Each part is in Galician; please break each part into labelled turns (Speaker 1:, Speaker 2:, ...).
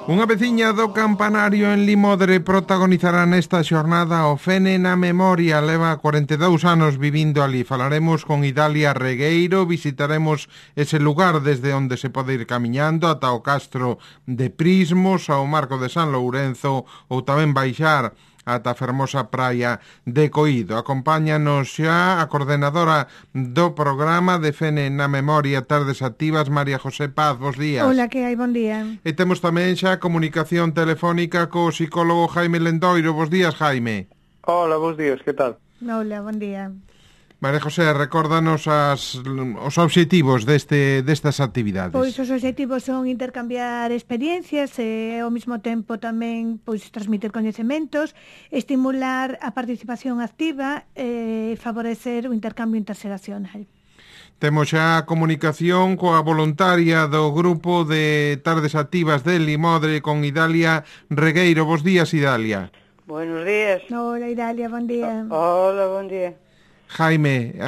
Speaker 1: Unha veciña do campanario en Limodre protagonizará nesta xornada o Fene na Memoria. Leva 42 anos vivindo ali. Falaremos con Idalia Regueiro, visitaremos ese lugar desde onde se pode ir camiñando ata o Castro de Prismos, ao Marco de San Lourenzo ou tamén baixar ata a fermosa praia de Coído. Acompáñanos xa a coordenadora do programa de Fene na Memoria Tardes Activas, María José Paz. Bos días.
Speaker 2: Hola, que hai? Bon día.
Speaker 1: E temos tamén xa comunicación telefónica co psicólogo Jaime Lendoiro. Bos días, Jaime.
Speaker 3: Hola, bos días, que tal?
Speaker 2: Hola, bon día.
Speaker 1: María José, recórdanos os obxectivos destas actividades.
Speaker 2: Pois os obxectivos son intercambiar experiencias e ao mesmo tempo tamén transmitir coñecementos, estimular a participación activa e favorecer o intercambio interxeracional.
Speaker 1: Temos xa a comunicación coa voluntaria do grupo de Tardes Activas de Limodre con Idalia Regueiro. Bos días, Idalia.
Speaker 4: Buenos días.
Speaker 2: Hola, Idalia, bon día.
Speaker 4: Hola, bon día.
Speaker 1: Jaime,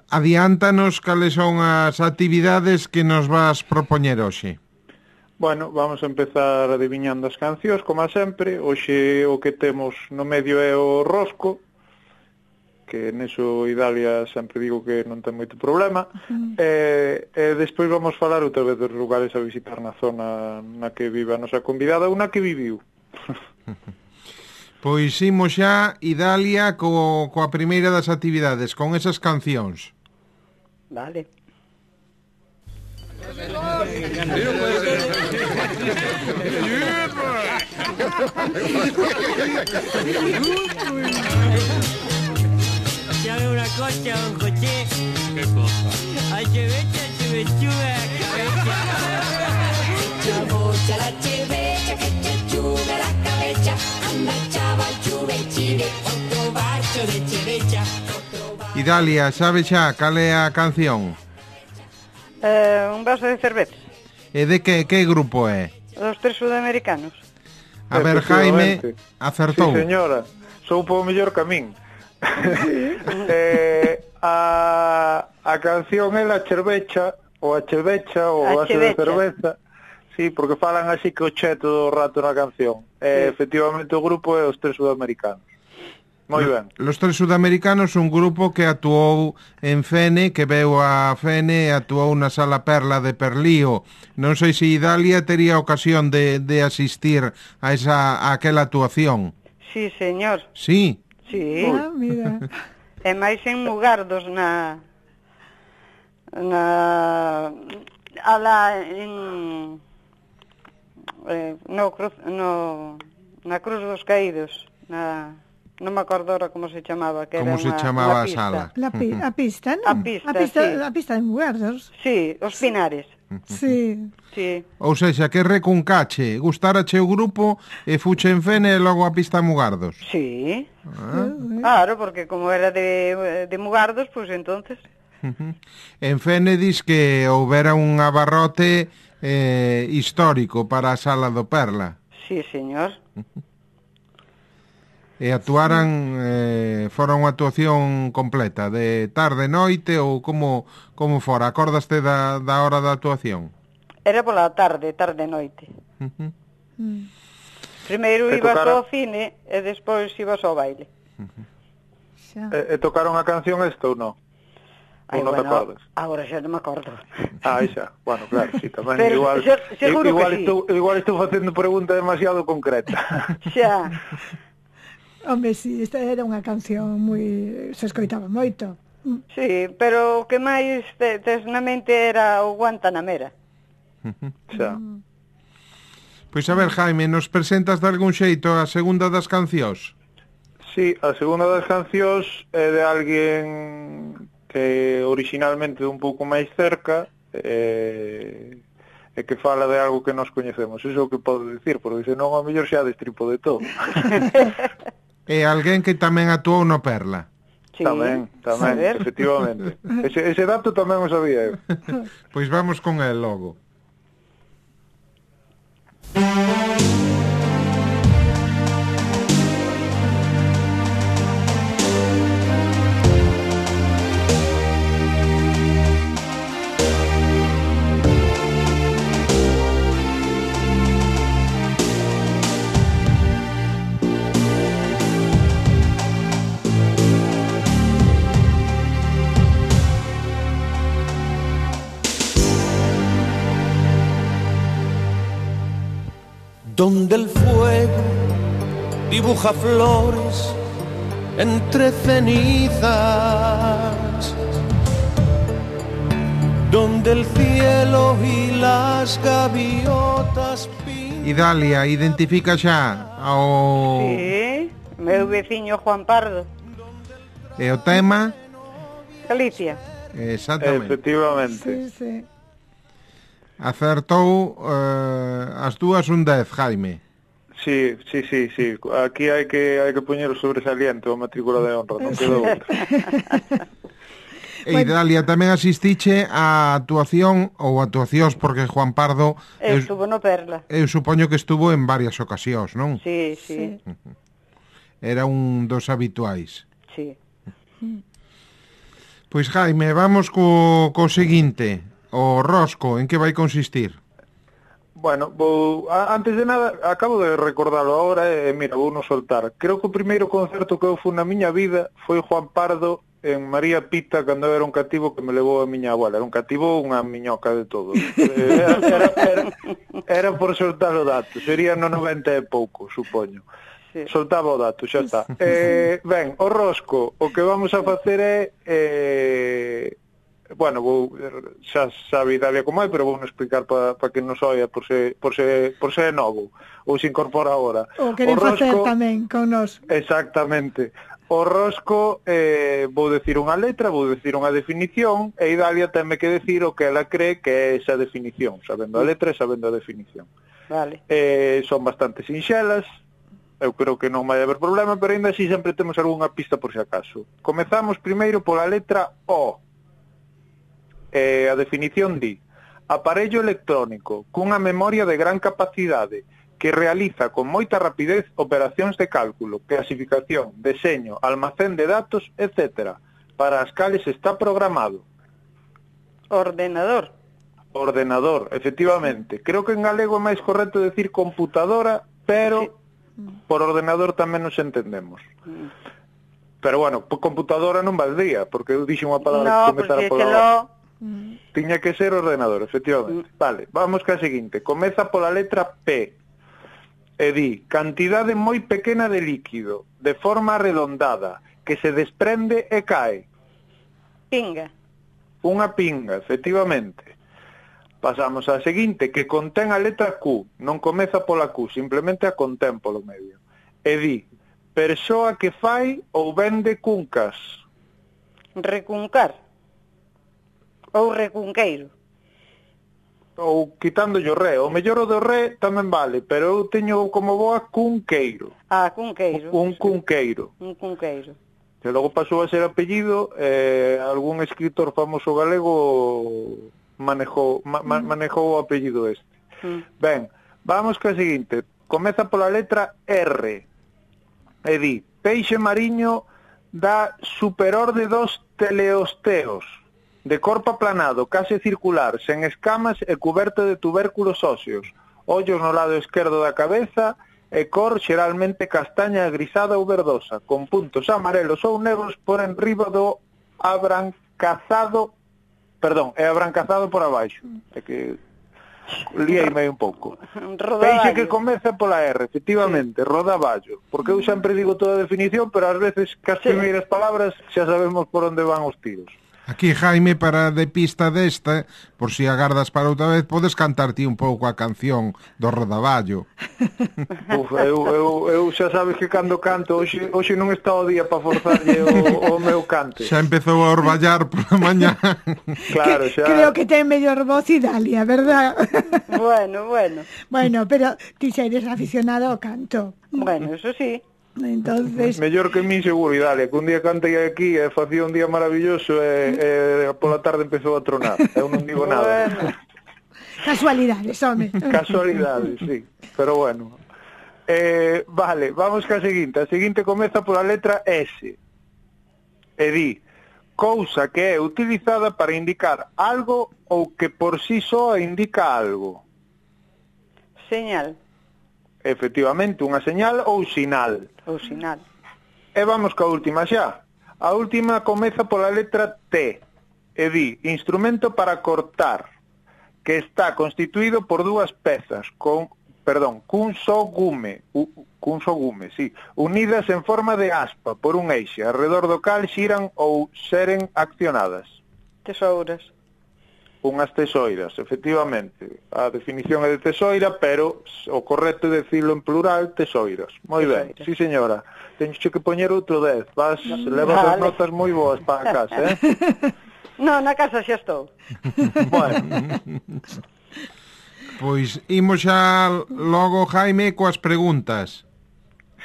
Speaker 1: adiántanos cales son as actividades que nos vas propoñer hoxe.
Speaker 3: Bueno, vamos a empezar adiviñando as cancións, como sempre. Hoxe o que temos no medio é o rosco, que neso Idalia sempre digo que non ten moito problema. E despois vamos falar outra vez dos lugares a visitar na zona na que vive a nosa convidada, unha que viviu.
Speaker 1: Pois imos xa, Idalia, coa primeira das actividades, con esas cancións.
Speaker 4: Vale.
Speaker 5: ¿Sabe una cosa, don José? ¿Qué cosa? A chevecha, chevechuga, cabeza.
Speaker 6: La mocha, la chevecha, che chechuga la cabeza. Anda, chaval, chuvechine, otro bacho de chevecha.
Speaker 1: Idalia, sabe xa cal é a canción?
Speaker 4: Un vaso de cerveza.
Speaker 1: E de que grupo é?
Speaker 4: Dos tres sudamericanos.
Speaker 1: A ver, Jaime, acertou.
Speaker 3: Sí, señora, sou po mellor camín. A canción é la cervecha, ou a chevecha, ou o vaso de cerveza. Sí, porque falan así que o che todo o rato na canción. Efectivamente o grupo é os tres sudamericanos. Moi ben.
Speaker 1: Los tres sudamericanos, un grupo que actuou en Fene, que veu a Fene e actuou na Sala Perla de Perlío. Non sei se Idalia tería ocasión de asistir a aquela actuación.
Speaker 4: Sí, señor.
Speaker 1: Sí?
Speaker 4: Sí.
Speaker 2: Ah, mira.
Speaker 4: E máis en Mugardos na Cruz dos Caídos, non me acordo ahora como se chamaba, que
Speaker 1: como
Speaker 4: era
Speaker 1: se chamaba a
Speaker 4: pista.
Speaker 1: sala?
Speaker 2: A pista, non?
Speaker 4: A pista, sí.
Speaker 2: A pista de Mugardos.
Speaker 4: Sí, os Pinares.
Speaker 2: Sí.
Speaker 4: Sí.
Speaker 1: Ou seja, que recuncache, gustarache o grupo e fuche en Fene e logo a pista Mugardos.
Speaker 4: Sí. Claro, porque como era de Mugardos, pues entonces...
Speaker 1: En Fene dis que houbera un abarrote histórico para a Sala do Perla.
Speaker 4: Sí, señor.
Speaker 1: E actuaran, fora unha actuación completa, de tarde, noite, ou como fora? Acordaste da hora da actuación?
Speaker 4: Era pola tarde, noite. Primeiro ibas ao cine e despois ibas ao baile.
Speaker 3: E tocaron a canción esta ou non? Ou non te acordas?
Speaker 4: Agora xa non me acordo.
Speaker 3: Xa, bueno, claro, sí, tamén.
Speaker 4: Pero
Speaker 3: igual estou facendo pregunta demasiado concreta.
Speaker 4: Xa.
Speaker 2: Hombre, sí, esta era unha canción moi... se escoitaba moito.
Speaker 4: Sí, pero o que máis tes na mente era o Guantanamera.
Speaker 3: Xa.
Speaker 1: Pois a ver, Jaime, nos presentas de algún xeito a segunda das cancións?
Speaker 3: Sí, a segunda das cancións é de alguén que originalmente é un pouco máis cerca e que fala de algo que nos coñecemos. Iso é o que podo dicir, porque senón ao mellor xa destripo de todo.
Speaker 1: E alguén que tamén actuou no Perla.
Speaker 4: Sí.
Speaker 3: Tamén, efectivamente. Ese dato tamén o sabía eu.
Speaker 1: Pois vamos con el logo.
Speaker 7: donde el fuego dibuja flores entre cenizas, donde el cielo y las gaviotas
Speaker 1: Idalia, identifica xa ao...
Speaker 4: Sí, meu veciño Juan Pardo.
Speaker 1: E o tema?
Speaker 4: Galicia.
Speaker 1: Exactamente.
Speaker 3: Efectivamente.
Speaker 2: Sí, sí.
Speaker 1: Acertou as dúas un 10, Jaime.
Speaker 3: Sí. Aquí hai que poñer o sobresaliente a matrícula de honra, non queda outra.
Speaker 1: E Idalia, tamén asistiche a actuación ou actuacións, porque Juan Pardo
Speaker 4: Estuvo no Perla.
Speaker 1: eu supoño que estuvo en varias ocasións, non?
Speaker 4: Sí.
Speaker 1: Era un dos habituais.
Speaker 4: Sí.
Speaker 1: Pois Jaime, vamos co seguinte, o rosco, en que vai consistir?
Speaker 3: Bueno, antes de nada, acabo de recordarlo agora e mira, vou non soltar. Creo que o primeiro concerto que eu fui na miña vida foi Juan Pardo en María Pita cando era un cativo que me levou a miña abuela. Era un cativo, unha miñoca de todo. Era por soltar o dato. Sería no 90 e pouco, supoño. Sí. Soltaba o dato, xa está. Ben, o rosco, o que vamos a facer é... Bueno, xa sabe Idalia como é, pero vou explicar para que nos oia por se é novo ou se incorpora agora.
Speaker 2: O queren facer tamén con nós.
Speaker 3: Exactamente. O rosco, vou decir unha letra, vou decir unha definición, e Idalia teme que decir o que ela cree que é esa definición, sabendo a letra e sabendo a definición.
Speaker 4: Vale.
Speaker 3: Son bastante sinxelas, eu creo que non vai haber problema, pero ainda así sempre temos algunha pista por si acaso. Comezamos primeiro pola letra O. A definición di: aparello electrónico cunha memoria de gran capacidade que realiza con moita rapidez operacións de cálculo, clasificación, deseño, almacén de datos, etc., para as cales está programado.
Speaker 4: Ordenador.
Speaker 3: Ordenador, efectivamente. Creo que en galego é máis correcto decir computadora, pero por ordenador tamén nos entendemos. Pero bueno, por computadora non valdría, porque eu dixo unha palabra que comezara pola O. Tiña que ser ordenador, efectivamente. Vale, vamos ca seguinte. Comeza pola letra P. E di: cantidade moi pequena de líquido, de forma arredondada, que se desprende e cae.
Speaker 4: Pinga.
Speaker 3: Unha pinga, efectivamente. Pasamos á seguinte, que contén a letra Q. Non comeza pola Q, simplemente a contén polo medio. E di: persoa que fai ou vende cuncas.
Speaker 4: Recuncar. Ou recunqueiro.
Speaker 3: Ou quitando o re. O mellor o do re tamén vale, pero eu teño como boa cunqueiro.
Speaker 4: Cunqueiro.
Speaker 3: Un cunqueiro.
Speaker 4: Un cunqueiro.
Speaker 3: Que logo pasou a ser apellido, algún escritor famoso galego manejou o apellido este. Ben, vamos ca seguinte. Comeza pola letra R. E di: peixe mariño da superorde dos teleosteos, de corpo aplanado, case circular, sen escamas e cuberto de tubérculos óseos, ollos no lado esquerdo da cabeza e cor xeralmente castaña grisada ou verdosa, con puntos amarelos ou negros por enriba do abrancazado, é abrancazado por abaixo. É que liei-me un pouco. Peixe que comeza pola R, efectivamente, rodaballo, porque eu sempre digo toda a definición, pero ás veces que as primeiras palabras xa sabemos por onde van os tiros.
Speaker 1: Aquí, Jaime, para de pista desta, por si agardas para outra vez, podes cantar ti un pouco a canción do rodaballo.
Speaker 3: Eu xa sabes que cando canto, hoxe non está o día para forzarlle o meu cante.
Speaker 1: Xa empezou a orballar pola mañá.
Speaker 3: Claro, xa.
Speaker 2: Creo que ten mellor voz Idalia, verdad?
Speaker 4: Bueno.
Speaker 2: Bueno, pero ti xa eres aficionado ao canto.
Speaker 4: Bueno, eso sí.
Speaker 2: Entonces...
Speaker 3: Mellor que min seguro, Idalia, que un día cantei aquí e facía un día maravilloso e pola tarde empezou a tronar. Eu non digo nada.
Speaker 2: Casualidades, home.
Speaker 3: Casualidades, sí. Pero bueno. Vale, vamos ca seguinte. A seguinte comeza pola letra S. E di: cousa que é utilizada para indicar algo ou que por sí só indica algo.
Speaker 4: Señal.
Speaker 3: Efectivamente, unha señal ou sinal.
Speaker 4: Ou sinal.
Speaker 3: E vamos ca última xa. A última comeza pola letra T. E di: instrumento para cortar, que está constituído por dúas pezas, cun só gume, sí, unidas en forma de aspa por un eixe, alrededor do cal xiran ou seren accionadas.
Speaker 4: Tesouras.
Speaker 3: Unhas tesoiras, efectivamente. A definición é de tesoira, pero o correcto é decirlo en plural, tesoiras. Moi ben, sí señora. Teño que poñer outro 10. Levas as notas moi boas para a casa,
Speaker 4: Non, na casa xa estou.
Speaker 3: Bueno.
Speaker 1: Pois imos xa logo, Jaime, coas preguntas.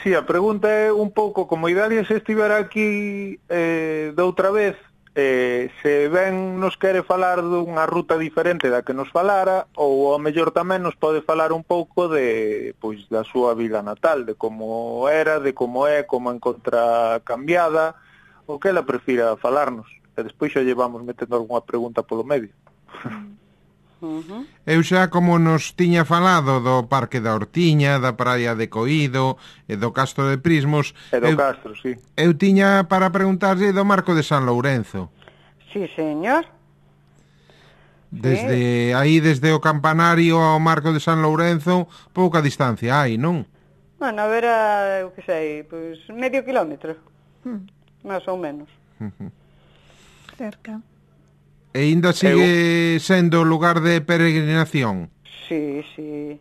Speaker 3: Sí, a pregunta é un pouco como Idalia se estivera aquí doutra vez, se ben nos quere falar dunha ruta diferente da que nos falara, ou ao mellor tamén nos pode falar un pouco de, pois, da súa vila natal, de como era, de como é, como encontra cambiada, o que ela prefira falarnos. E despois xa llevamos metendo algunha pregunta polo medio.
Speaker 1: Eu xa, como nos tiña falado do Parque da Hortiña, da Praia de Coído e do Castro de Prismos,
Speaker 3: Castro, sí.
Speaker 1: Eu tiña para preguntarlle do Marco de San Lourenzo.
Speaker 4: Sí, señor.
Speaker 1: Desde aí, desde o campanario ao Marco de San Lourenzo, pouca distancia hai, non?
Speaker 4: Bueno, a ver, eu que sei, pois medio kilómetro, máis ou menos.
Speaker 2: Cerca.
Speaker 1: E ainda sigue sendo lugar de peregrinación?
Speaker 4: Sí, sí.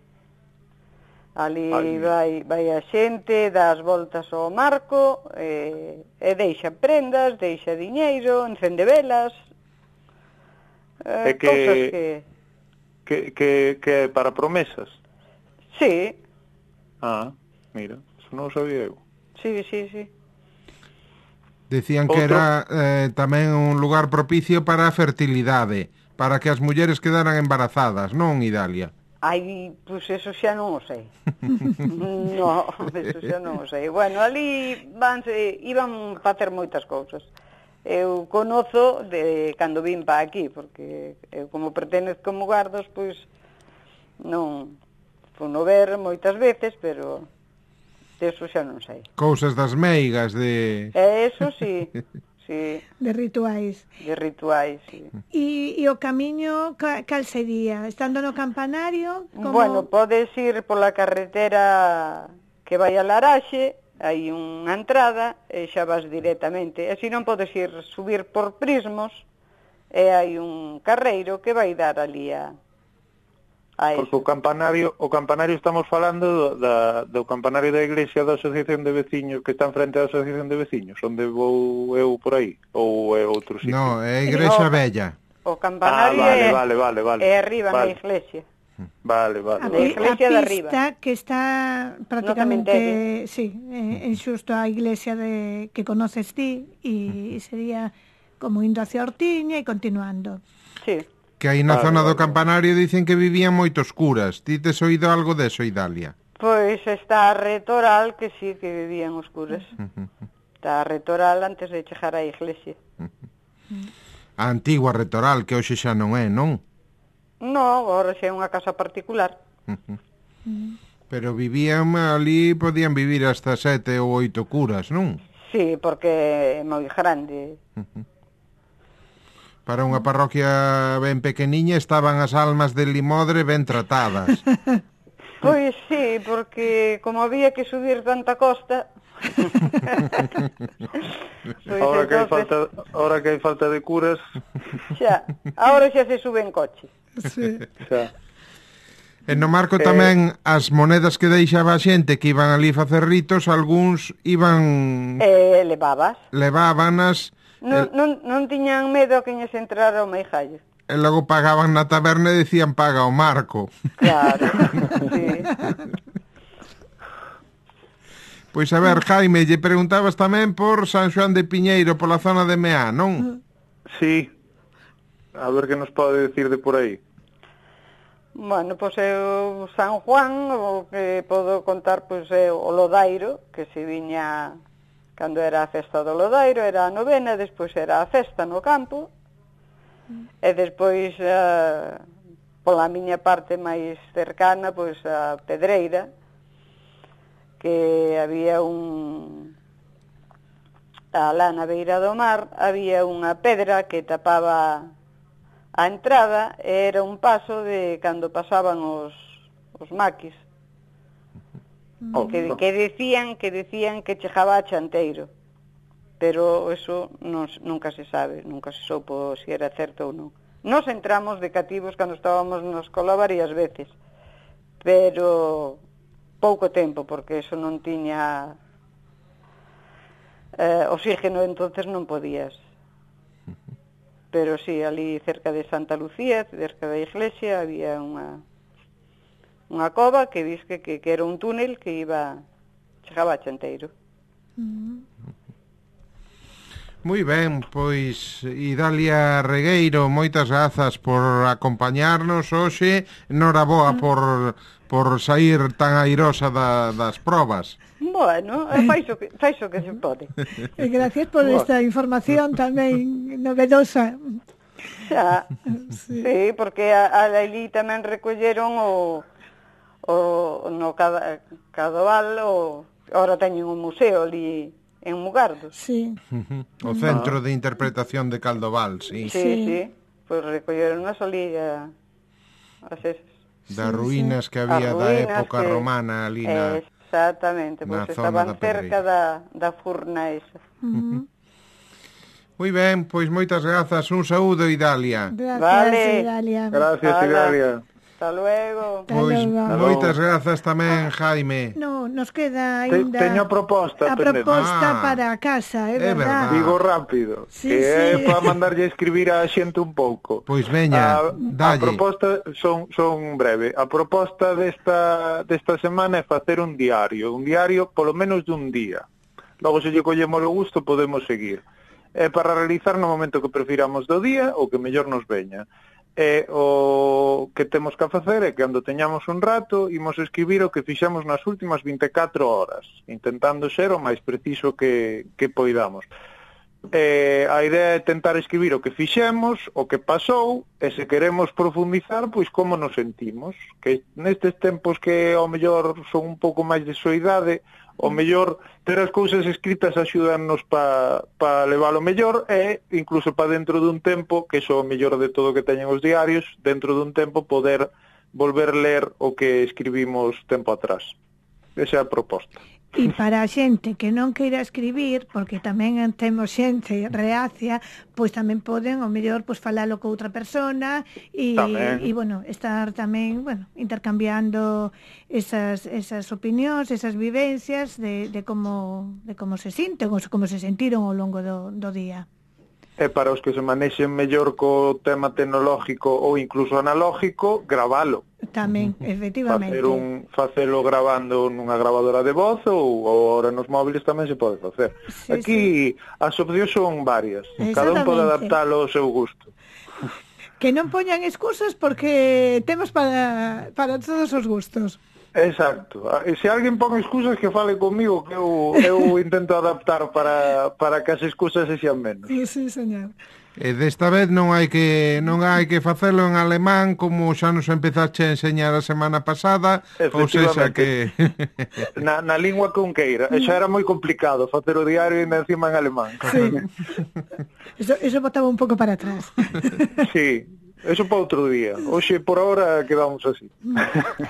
Speaker 4: Ali vai a xente, dá as voltas ao marco, e deixa prendas, deixa diñeiro, encende velas, cousas
Speaker 3: que para promesas?
Speaker 4: Sí.
Speaker 3: Ah, mira, eso non o sabía eu.
Speaker 4: Sí, sí, sí.
Speaker 1: Decían que era tamén un lugar propicio para a fertilidade, para que as mulleres quedaran embarazadas, non, Idalia?
Speaker 4: Ai, pois eso xa non o sei. No, eso xa non o sei. Bueno, ali iban facer moitas cousas. Eu conozo de cando vin pa aquí, porque eu como pertenezco a Mugardos, pois non fono ver moitas veces, pero eso xa non sei.
Speaker 1: Cousas das meigas de...
Speaker 4: Eso sí, sí.
Speaker 2: De rituais.
Speaker 4: De rituais, sí.
Speaker 2: E o camiño, cal sería? Estando no campanario? Como...
Speaker 4: Bueno, podes ir pola carretera que vai a Laraxe, hai unha entrada e xa vas directamente. E se non podes ir subir por Prismos, e hai un carreiro que vai dar ali a
Speaker 3: Porque o campanario estamos falando do campanario da iglesia da Asociación de Veciños que está en frente da Asociación de Veciños, onde vou eu por aí, ou é outro sitio?
Speaker 1: No, é a Igrexa Bella.
Speaker 4: O campanario
Speaker 3: vale.
Speaker 4: é arriba na iglesia.
Speaker 3: Vale.
Speaker 4: A iglesia de arriba.
Speaker 2: Que está prácticamente, sí, en xusto a iglesia que conoces ti, e sería como indo hacia Hortiña e continuando.
Speaker 4: Sí.
Speaker 1: Que aí na zona do campanario dicen que vivían moitos curas. Ti tes oído algo deso, Idalia?
Speaker 4: Pois está a Retoral, que sí que vivían os curas. Está a Retoral antes de chegar á iglesia.
Speaker 1: A antigua Retoral, que hoxe xa non é, non?
Speaker 4: No, agora xa é unha casa particular.
Speaker 1: Pero vivían ali, podían vivir hasta 7 ou 8 curas, non?
Speaker 4: Sí, porque é moi grande.
Speaker 1: Para unha parroquia ben pequeniña estaban as almas de Limodre ben tratadas.
Speaker 4: Pois sí, porque como había que subir tanta costa...
Speaker 3: Pois ahora que hai falta de curas...
Speaker 4: Xa, ahora xa se sube en coche.
Speaker 2: Sí.
Speaker 3: Xa.
Speaker 1: E no Marco tamén as monedas que deixaba a xente que iban ali facer ritos, algúns iban... Levábanas...
Speaker 4: Non tiñan medo a que ñes entrara o meijallo.
Speaker 1: E logo pagaban na taberna e decían paga o Marco.
Speaker 4: Claro, sí.
Speaker 1: Pois a ver, Jaime, lle preguntabas tamén por San Xoán de Piñeiro, pola zona de Meá, non?
Speaker 3: Sí. A ver que nos pode decir de por aí.
Speaker 4: Bueno, pois eu San Juan, o que podo contar pois é o Lodairo, que se viña cando era a festa do Lodairo, era a novena, despois era a festa no campo, e despois, pola miña parte máis cercana, pois a Pedreira, que había alá na beira do mar, había unha pedra que tapaba a entrada, e era un paso de cando pasaban os maquis, que decían que chegaba a Chanteiro, pero eso nunca se sabe, nunca se soupo se era certo ou non. Nos entramos de cativos cando estábamos na escola varias veces, pero pouco tempo, porque eso non tiña oxígeno, entonces non podías. Pero sí, ali cerca de Santa Lucía, cerca da iglesia, había unha cova que disque que era un túnel que chegaba a Chanteiro.
Speaker 1: Moi ben, pois Idalia Regueiro, moitas grazas por acompañarnos hoxe. Noraboa por sair tan airosa das probas.
Speaker 4: Bueno, faixo que se pode.
Speaker 2: Gracias por esta información tamén novedosa.
Speaker 4: Xa, sí, porque ali tamén recolleron no Cadoval, ahora teñen un museo ali en Mugardos.
Speaker 2: Sí.
Speaker 1: O Centro de Interpretación de Caldoval, sí.
Speaker 4: Sí. Pois recolleron as ali as esas.
Speaker 1: Das ruínas que había da época romana ali na...
Speaker 4: Exactamente, pois estaban cerca da furna esa.
Speaker 1: Moi ben, pois moitas grazas, un saúdo, Idalia.
Speaker 2: Gracias, Idalia.
Speaker 3: Gracias, Idalia.
Speaker 4: Hasta luego.
Speaker 1: Pois moitas grazas tamén, Jaime.
Speaker 2: No, nos queda ainda
Speaker 3: Teño a proposta
Speaker 2: para a casa, é verdad.
Speaker 3: Digo rápido, é para mandarlle escribir a xente un pouco.
Speaker 1: Pois veña, dalle.
Speaker 3: A proposta son breve. A proposta desta semana é facer un diario polo menos dun día. Logo, se lle collemos o gusto, podemos seguir. É para realizar no momento que prefiramos do día ou que mellor nos veña. E o que temos que facer é que cando teñamos un rato imos escribir o que fixemos nas últimas 24 horas, intentando ser o máis preciso que poidamos. A idea é tentar escribir o que fixemos, o que pasou, e se queremos profundizar, pois como nos sentimos, que nestes tempos que ao mellor son un pouco máis de soidade, o mellor ter as cousas escritas axúdanos para leválo mellor e incluso para dentro dun tempo, que iso o mellor de todo que teñen os diarios, dentro dun tempo poder volver ler o que escribimos tempo atrás. Esa é a proposta.
Speaker 2: E para a xente que non queira escribir, porque tamén temos xente reacia, pois tamén poden, ao mellor, pois falalo con outra persona e bueno, estar tamén, bueno, intercambiando esas opinións, esas vivencias de como se sinten ou como se sentiron ao longo do día.
Speaker 3: E para os que se manexen mellor co tema tecnológico ou incluso analógico, gravalo.
Speaker 2: Tamén, efectivamente.
Speaker 3: Facelo gravando nunha grabadora de voz ou ahora nos móviles tamén se pode facer. Sí, aquí as opcións son varias. Cada un pode adaptalo ao seu gusto.
Speaker 2: Que non poñan excusas porque temos para todos os gustos.
Speaker 3: Exacto. E se alguén pon excusas que fale comigo, que eu intento adaptar para que as excusas sexan menos.
Speaker 2: Sí, señor.
Speaker 1: E desta vez non hai que facelo en alemán como xa nos empezaste a enseñar a semana pasada, ou sexa que
Speaker 3: na lingua que un queira. E xa era moi complicado facer o diario e encima en alemán.
Speaker 2: Sí. Eso botaba un pouco para atrás.
Speaker 3: Sí. Eso para outro día. Hoxe, por ahora, quedamos así.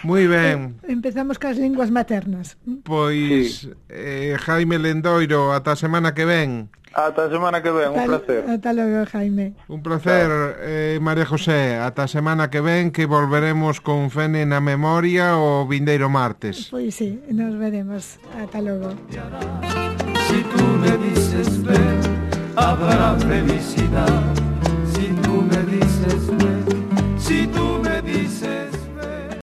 Speaker 1: Moi ben.
Speaker 2: Empezamos cas linguas maternas.
Speaker 1: Pois, Jaime Lendoiro, ata a semana que ven.
Speaker 3: Ata a semana que ven, un placer.
Speaker 2: Ata logo, Jaime.
Speaker 1: Un placer, María José. Ata a semana que ven, que volveremos con Fene na memoria o vindeiro martes.
Speaker 2: Pois sí, nos veremos. Ata logo.
Speaker 7: Si tú me dices ven, habrá felicidad. Si tú me dices